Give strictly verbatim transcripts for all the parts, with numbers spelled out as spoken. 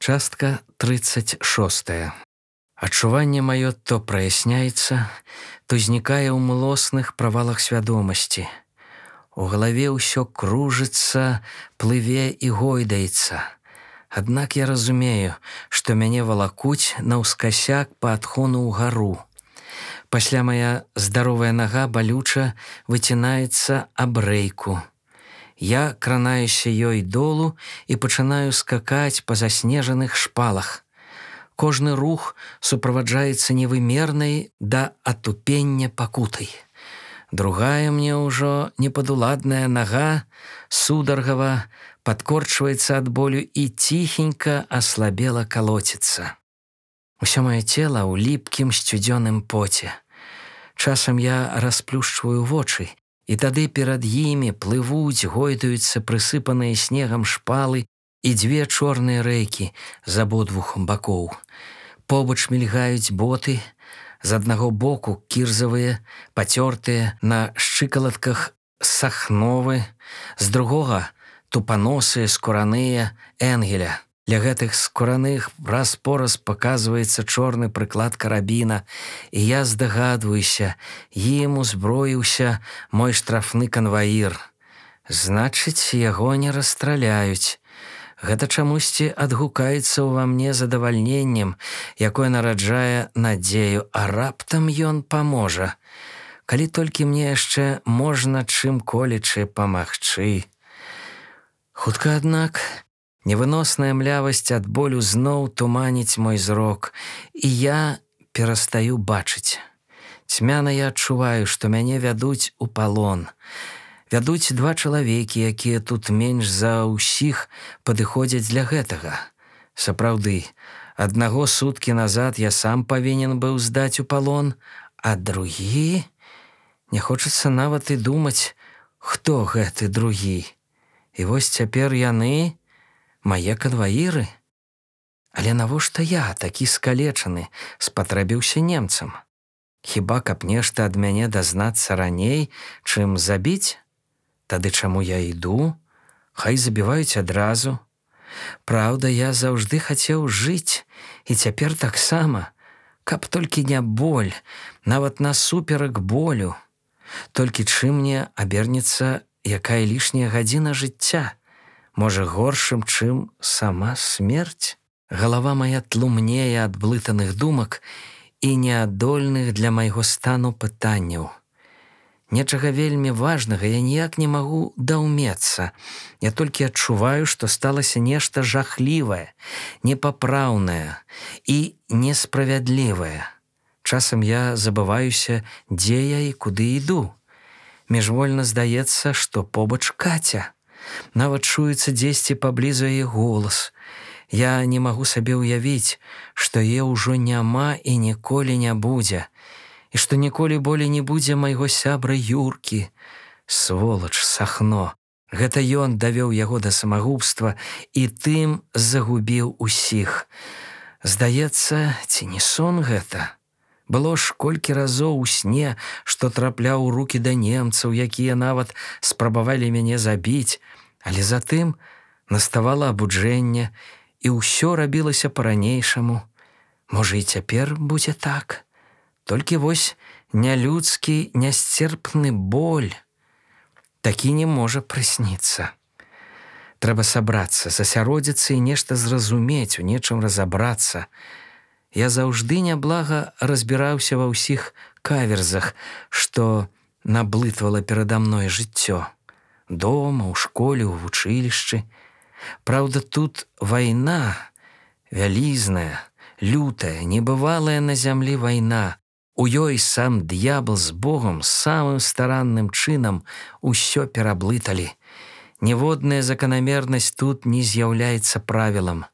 Частка тридцать шостая. Адчуванне маё то праясняецца, то знікае ў млосных правалах свядомасці. У галаве ўсё кружыцца, плыве і гойдаецца. Аднак я разумею, што мяне валакуць наўскасяк па адхону ўгару. Пасля мая здаровая нага балюча выцінаецца аб рэйку. Я кранаюся ёй долу і пачынаю скакаць па заснежаных шпалах. Кожны рух суправаджаецца невымернай да атупення пакутай. Другая мне ўжо непадуладная нага сударгава падкорчваецца ад болю і ціхенька аслабела калоціцца. Усё маё цела ў ліпкім сцюдзёным поце. Часам я расплюшчваю вочы, і тады перад імі плывуць, гойдаюцца прысыпаныя снегам шпалы і дзве чорныя рэйкі з абодвух бакоў. Побач мільгаюць боты, з аднаго боку кірзавыя, пацёртыя, на шчыкалатках сахновы, з другога тупаносыя, скураныя, энгеля. Для гэтых скураных раз-пораз паказваецца чорны прыклад карабіна, і я здагадваюся, ім узброіўся мой штрафны канваір. Значыць, яго не расстраляюць. Гэта чамусьці адгукаецца ўва мне задавальненнем, якое нараджае надзею, а раптам ён паможа. Калі толькі мне яшчэ можна чым-колечы памагчы. Хутка, аднак, невыносная млявасць ад болю зноў туманіць мой зрок, і я перастаю бачыць. Цьмяна я адчуваю, што мяне вядуць у палон. Вядуць два чалавекі, якія тут менш за ўсіх падыходзяць для гэтага. Сапраўды, аднаго суткі назад я сам павінен быў здаць у палон, а другі... Не хочацца нават і думаць, хто гэты другі. І вось цяпер яны... мае канваіры? Але навошта я, такі скалечаны, спатрэбіўся немцам? Хіба каб нешта ад мяне дазнацца раней, чым забіць? Тады чаму я іду? Хай забіваюць адразу. Праўда, я заўжды хацеў жыць, і цяпер таксама. Каб толькі не боль, нават насуперак болю. Толькі чым мне абернецца якая лішняя гадзіна жыцця? Можа, горшым, чым сама смерць? Галава мая тлумнее ад блытаных думак і неадольных для майго стану пытанняў. Нечага вельмі важнага я ніяк не магу даўмецца. Я толькі адчуваю, што сталася нешта жахлівае, непапраўнае і несправядлівае. Часам я забываюся, дзе я і куды іду. Міжвольна здаецца, што побач Каця. Нават чуецца дзесьці паблізу яе голас. Я не магу сабе ўявіць, што яе ўжо няма і ніколі не будзе, і што ніколі болей не будзе майго сябра Юркі. Сволач, Сахно. Гэта ён давёў яго да самагубства і тым загубіў усіх. Здаецца, ці не сон гэта? Было ж колькі разоў у сне, што трапляў у рукі да немцаў, якія нават спрабавалі мяне забіць, але затым наставала абуджэнне, і ўсё рабілася па-ранейшаму. Можа, і цяпер будзе так? Толькі вось нялюдскі, нясцерпны боль. Такі не можа прысніцца. Трэба сабрацца, засяродзіцца і нешта зразумець, у нечым разабрацца. Я заўжды няблага разбіраўся ва ўсіх каверзах, што наблытвала перада мной жыццё. Дома, у школе, у вучылішчы. Праўда, тут вайна, вялізная, лютая, небывалая на зямлі вайна. У ёй сам д'ябл з Богом самым старанным чынам усё пераблыталі. Ніводная заканамернасць тут не з'яўляецца правілам.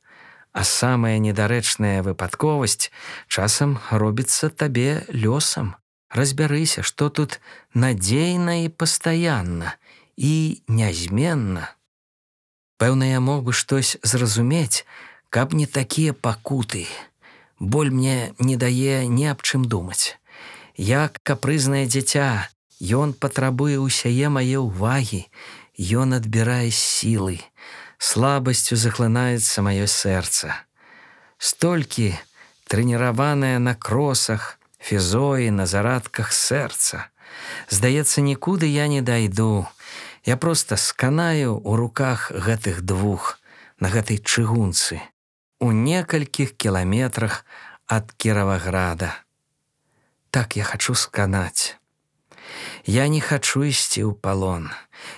А самая недарэчная выпадковасць часам робіцца табе лёсам. Разбярыся, што тут надзейна і пастаянна, і нязменна. Пэўна, я мог бы штось зразумець, каб не такія пакуты. Боль мне не дае ні аб чым думаць. Як капрызнае дзіця, ён патрабуе ўсяе мае ўвагі, ён адбірае сілы. Слабасцю захлынаецца маё сэрца. Столькі трэніраванае на кросах, фізоі, на зарадках сэрца. Здаецца, нікуды я не дайду. Я проста сканаю ў руках гэтых двух на гэтай чыгунцы у некалькіх кіламетрах ад Кіраваграда. Так я хачу сканаць. Я не хачу ісці ў палон.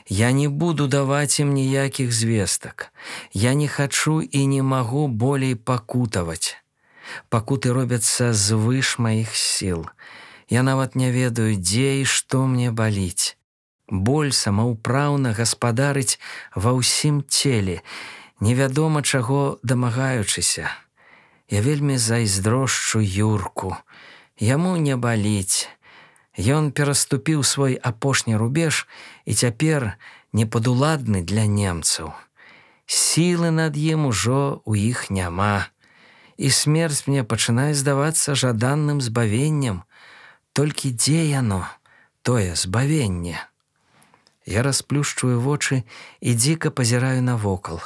Я не буду даваць ім ніякіх звестак. Я не хачу і не магу болей пакутаваць. Пакуты робяцца звыш маіх сіл. Я нават не ведаю, дзе і што мне баліць. Боль самаўпраўна гаспадарыць ва ўсім целе, невядома чаго дамагаючыся. Я вельмі зайздрошчу Юрку. Яму не баліць. Ён пераступіў свой апошні рубеж і цяпер непадуладны для немцаў. Сілы над ім ужо ў іх няма. І смерць мне пачынае здавацца жаданным збавеннем. Толькі дзе яно, тое збавенне? Я расплюшчваю вочы і дзіка пазіраю навокал.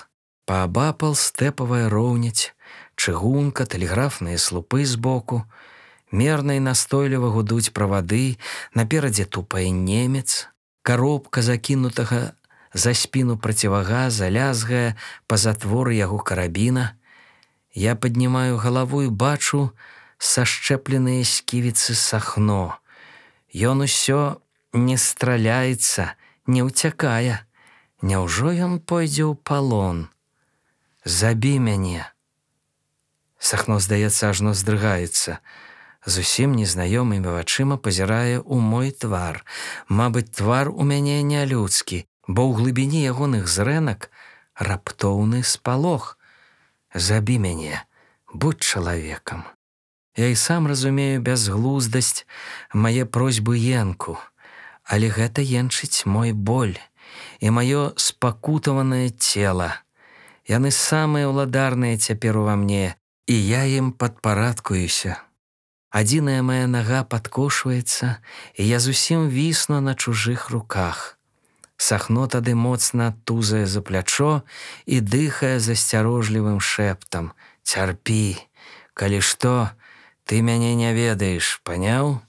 Паабапал стэпавая роўняць, чыгунка, тэлеграфныя слупы збоку. Мерна і настойліва гудуць правады, наперадзе тупае немец. Каробка закінутага за спіну процівагаза лязгае па затворы яго карабіна. Я паднімаю галаву і бачу сашчэпленыя сківіцы Сахно. Ён усё не страляецца, не ўцякае. Няўжо ён пойдзе ў палон? Забі мяне. Сахно, здаецца, ажно здрыгаецца. Зусім незнаёмымі вачыма пазірае ў мой твар. Мабыць, твар у мяне нялюдскі, бо ў глыбіні ягоных зрэнак раптоўны спалох. Забі мяне, будь чалавекам. Я і сам разумею бязглуздасць мае просьбы енку, але гэта енчыць мой боль і маё спакутаванае цела. Яны самыя ўладарныя цяпер ува мне, і я ім падпарадкуюся. Адзіная мая нага падкошваецца, і я зусім вісну на чужых руках. Сахно тады моцна тузае за плячо і дыхае засцярожлівым шэптам: «Цярпі, калі што, ты мяне не ведаеш, паняў?»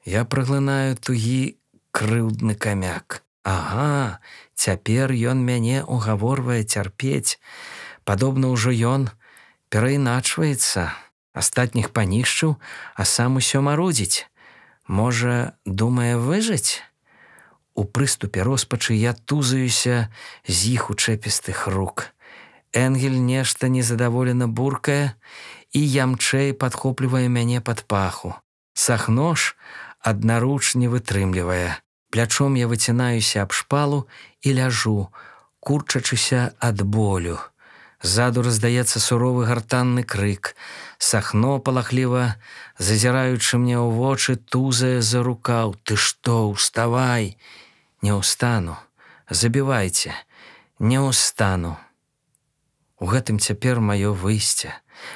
Я праглынаю тугі крыўдны камяк. Ага, цяпер ён мяне угаворвае цярпець. Падобна ўжо ён перайначваецца. Астатніх панішчыў, а сам усё марудзіць. Можа, думае выжыць? У прыступе роспачы я тузаюся з іх учэпістых рук. Энгель нешта незадаволена буркае і ямчэй падхоплівае мяне пад паху. Сахно ж аднаруч не вытрымлівае. Плячом я выцінаюся аб шпалу і ляжу, курчачыся ад болю. Ззаду раздаецца суровы гартанны крык. Сахно, палахліва зазіраючы мне ў вочы, тузае за рукаў: «Ты што, уставай!» «Не ўстану, забівайце, не ўстану». У гэтым цяпер маё выйсце,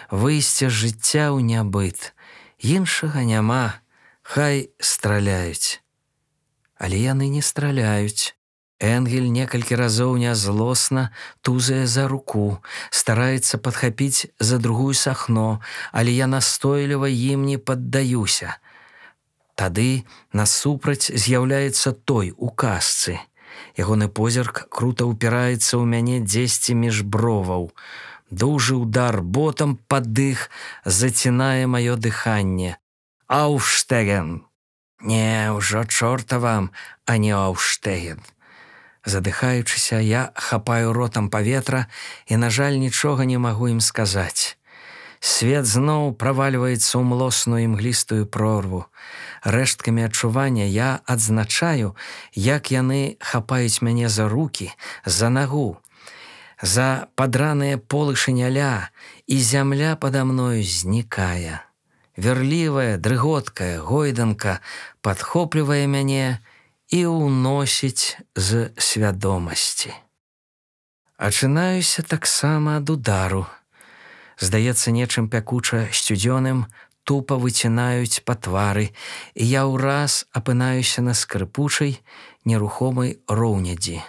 выйсце з жыцця ў нябыт. Іншага няма, хай страляюць. Але яны не страляюць. Энгель некалькі разоў нязлосна тузае за руку, стараецца падхапіць за другую Сахно, але я настойліва ім не паддаюся. Тады насупраць з'яўляецца той у касцы. Ягоны позірк крута ўпіраецца ў мяне дзесьці між броваў. Дужы ўдар ботам пад дых зацінае маё дыханне. «Ауфштеген!» «Не, ўжо чорта вам, а не Ауфштеген!» Задыхаючыся, я хапаю ротам паветра і, на жаль, нічога не магу ім сказаць. Свет зноў правальваецца ў млосную імглістую прорву. Рэшткамі адчування я адзначаю, як яны хапаюць мяне за рукі, за нагу, за падраныя полы шыняля, і зямля пада мною знікае. Верлівая, дрыготкая гойданка падхоплівае мяне і ўносіць з свядомасці. Ачынаюся таксама ад удару. Здаецца, нечым пякуча сцюдзёным тупа выцінаюць па твары, і я ўраз апынаюся на скрыпучай, нерухомай роўнядзі.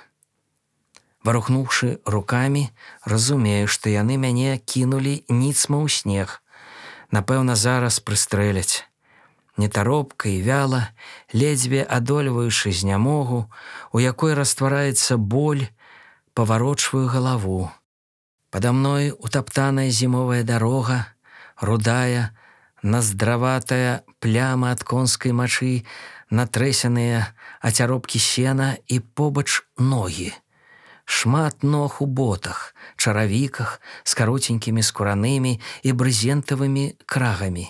Варухнуўшы рукамі, разумею, што яны мяне кінулі ніцма ў снег. Напэўна, зараз прыстрэляць. Нетаропка і вяла, ледзьве адольваючы знямогу, у якой раствараецца боль, паварочваю галаву. Пада мной утаптаная зімовая дарога, рудая, наздраватая пляма ад конскай мачы, натрэсеныя ацяробкі сена і побач ногі. Шмат ног у ботах, чаравіках з каротенькімі скуранымі і брызентавымі крагамі.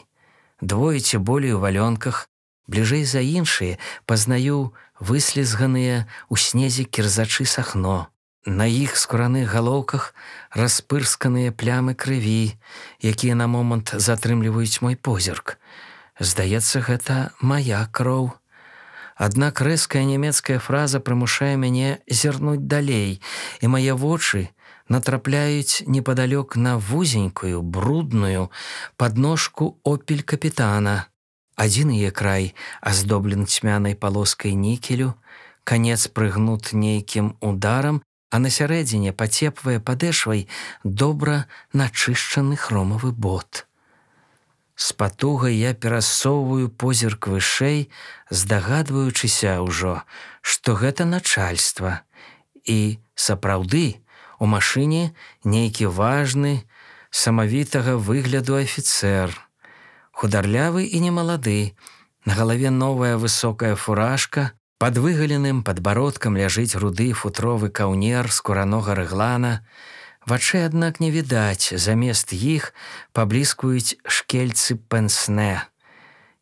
Двое ці болей у валёнках, бліжэй за іншыя пазнаю выслізганыя ў снезе кірзачы сахно. На іх скураных галоўках распырсканыя плямы крыві, якія на момант затрымліваюць мой позірк. Здаецца, гэта мая кроў. Аднак рэзкая нямецкая фраза прымушае мяне зірнуць далей, і мае вочы натрапляюць непадалёк на вузенькую, брудную падножку «Опель» капітана. Адзін яе край аздоблен цьмянай палоскай нікелю, канец прыгнут нейкім ударам, а на сярэдзіне пацепвае падэшвай добра начышчаны хромавы бот. З патугай я перасоўваю позірк вышэй, здагадваючыся ўжо, што гэта начальства. І, сапраўды, у машыне нейкі важны, самавітага выгляду афіцэр. Хударлявы і немалады, на галаве новая высокая фуражка, пад выгаленым падбародкам ляжыць руды футровы каўнер скуранога рэглана. Вачэй, аднак, не відаць, замест іх пабліскваюць шкельцы пенснэ.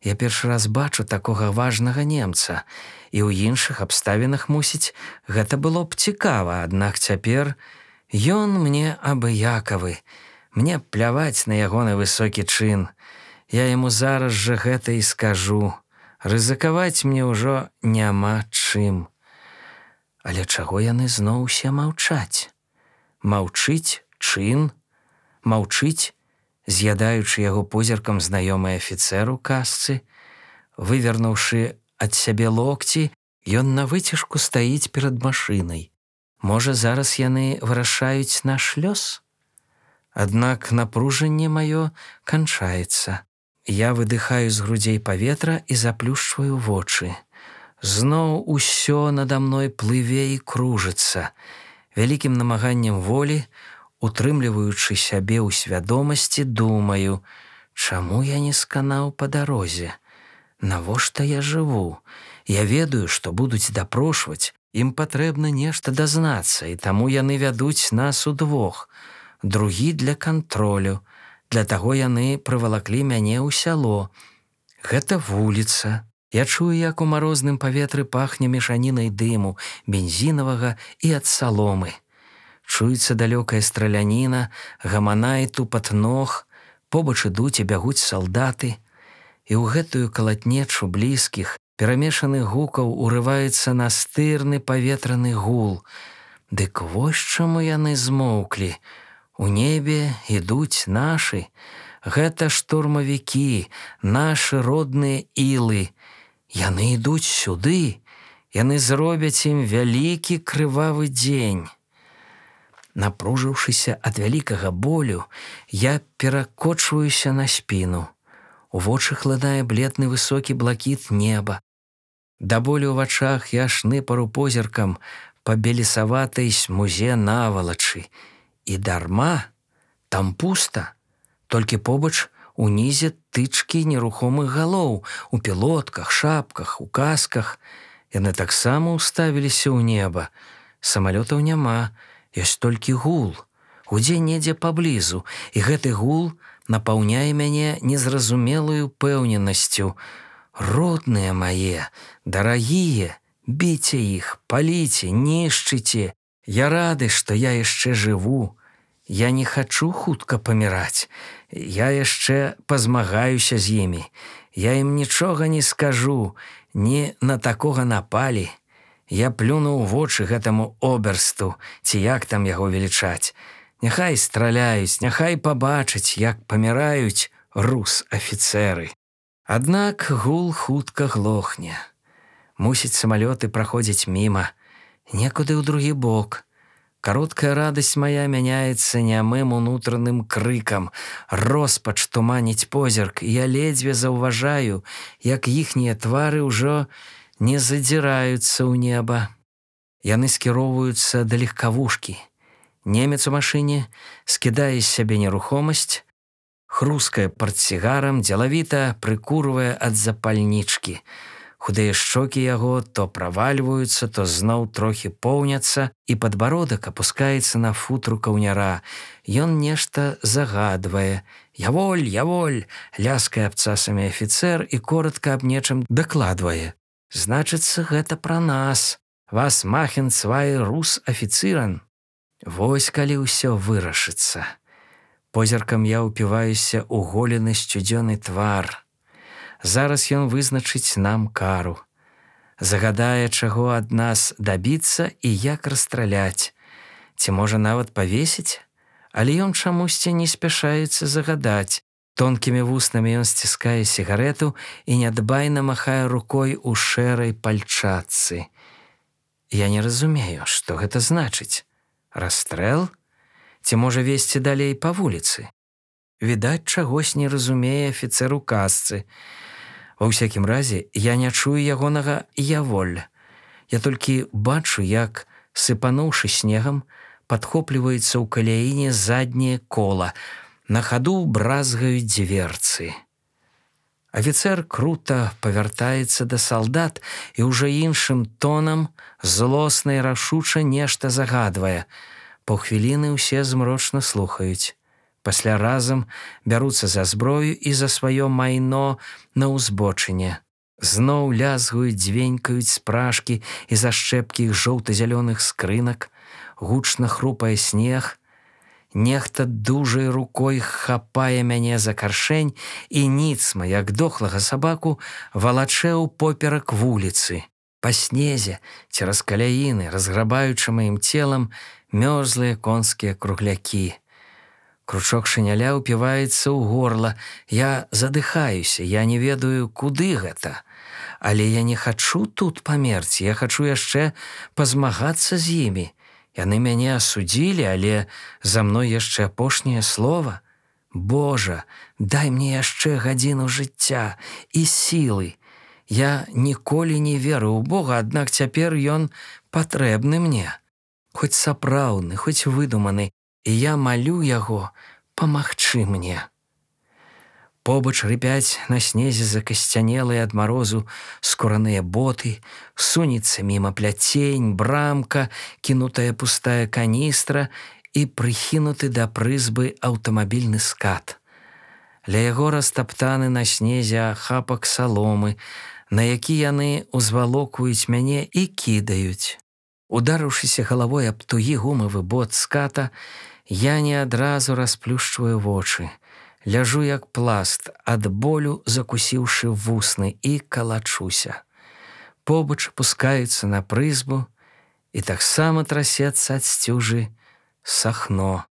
Я першы раз бачу такога важнага немца, і ў іншых абставінах, мусіць, гэта было б цікава, аднак цяпер ён мне абыякавы. Мне пляваць на ягоны высокі чын. Я яму зараз жа гэта і скажу. Рызыкаваць мне ўжо няма чым. Але чаго яны зноў усе маўчаць? Маўчыць чын, маўчыць, з'ядаючы яго позіркам знаёмы афіцэр у касцы. Вывернуўшы ад сябе локці, ён на выцяжку стаіць перад машынай. Можа, зараз яны вырашаюць наш лёс? Аднак напружанне маё канчаецца. Я выдыхаю з грудзей паветра і заплюшчваю вочы. Зноў усё нада мной плыве і кружыцца. Вялікім намаганнем волі, утрымліваючы сябе ў свядомасці, думаю, чаму я не сканаў па дарозе? Навошта я жыву? Я ведаю, што будуць дапрошваць, ім патрэбна нешта дазнацца, і таму яны вядуць нас удвох. Другі для кантролю. Для таго яны прывалаклі мяне ў сяло. Гэта вуліца. Я чую, як у марозным паветры пахне мешанінай дыму, бензінавага і ад саломы. Чуецца далёкая страляніна, гамана і тупат ног, побач ідуць і бягуць салдаты. І ў гэтую калатнечу блізкіх, перамешаных гукаў урываецца настырны паветраны гул. Дык вось чаму яны змоўклі. У небе ідуць нашы. Гэта штурмавікі, нашы родныя ілы. Яны ідуць сюды, яны зробяць ім вялікі крывавы дзень. Напружыўшыся ад вялікага болю, я перакочваюся на спіну. У вочы хлынае бледны высокі блакіт неба. Да болю ў вачах я шныпару позіркам па белесаватай смузе навалачы. І дарма, там пуста, толькі побач унізе тычкі нерухомых галоў, у пілотках, шапках, у касках. Яны таксама ўставіліся ў неба. Самалётаў няма, ёсць толькі гул. Гудзе недзе паблізу, і гэты гул напаўняе мяне незразумелую пэўненасцю. Родныя мае, дарагія, біце іх, паліце, нішчыце. Я рады, што я яшчэ жыву. Я не хачу хутка паміраць. Я яшчэ пазмагаюся з імі. Я ім нічога не скажу, не на такога напалі. Я плюну ў вочы гэтаму оберсту, ці як там яго велічаць. Няхай страляюць, няхай пабачаць, як паміраюць рус-афіцэры. Аднак гул хутка глохне. Мусіць, самалёты праходзяць міма. Некуды ў другі бок. Кароткая радасць мая мяняецца нямым унутраным крыкам. Роспач туманіць позірк, і я ледзьве заўважаю, як іхнія твары ўжо не задзіраюцца ў неба. Яны скіроўваюцца да легкавушкі. Немец у машыне скідае з сябе нерухомасць, хрускае партсігарам, дзелавіта прыкурвае ад запальнічкі. Худыя шчокі яго то правальваюцца, то зноў трохі поўняцца, і падбародак апускаецца на футру каўняра. Ён нешта загадвае. «Яволь, яволь!» — ляскае абцасамі афіцэр і коротка аб нечым дакладвае. «Значыцца, гэта пра нас. Was machen zwei Russ-Offizieren?» Вось калі ўсё вырашыцца. Позіркам я ўпіваюся ў голены сцюдзёны твар. Зараз ён вызначыць нам кару. Загадае, чаго ад нас дабіцца і як расстраляць. Ці можа нават павесіць? Але ён чамусьці не спяшаецца загадаць. Тонкімі вуснамі ён сціскае сігарэту і нядбайна махае рукой у шэрай пальчатцы. Я не разумею, што гэта значыць. Расстрэл? Ці можа весці далей па вуліцы? Відаць, чагось не разумее афіцэр у касцы. Ва ўсякім разе, я не чую ягонага «яволь». Я толькі бачу, як, сыпануўшы снегам, падхопліваецца ў каляіне задняе кола. На хаду бразгаюць дзверцы. Афіцэр крута павяртаецца да салдат і ўжо іншым тонам злосна і рашуча нешта загадвае. Паўхвіліны ўсе змрочна слухаюць. Пасля разам бяруцца за зброю і за сваё майно на ўзбочыне. Зноў лязгаюць, дзвенькаюць спражкі і зашчэпкі іх жоўта-зялёных скрынак. Гучна хрупае снег. Нехта дужай рукой хапае мяне за каршэнь і ніцма, як дохлага сабаку, валачэ ўпоперак вуліцы. Па снезе, цераз каляіны, разграбаючы маім целам мёрзлыя конскія круглякі. Кручок шыняля ўпіваецца ў горла. Я задыхаюся, я не ведаю, куды гэта. Але я не хачу тут памерці, я хачу яшчэ пазмагацца з імі. Яны мяне асудзілі, але за мной яшчэ апошняе слова. Божа, дай мне яшчэ гадзіну жыцця і сілы. Я ніколі не верыў у Бога, аднак цяпер ён патрэбны мне. Хоць сапраўдны, хоць выдуманы, і я малю яго памагчы мне. Побач рыпяць на снезе закасцянелыя ад марозу скураныя боты, сунецца міма пляцень, брамка, кінутая пустая каністра і прыхінуты да прызбы аўтамабільны скат. Ля яго растаптаны на снезе ахапак саломы, на які яны ўзвалокуюць мяне і кідаюць. Ударыўшыся галавой аб тугі гумавы бот ската, я не адразу расплюшчваю вочы. Ляжу як пласт, ад болю закусіўшы вусны, і калачуся. Побач пускаюцца на прызбу, і таксама трасецца ад сцюжы сахно.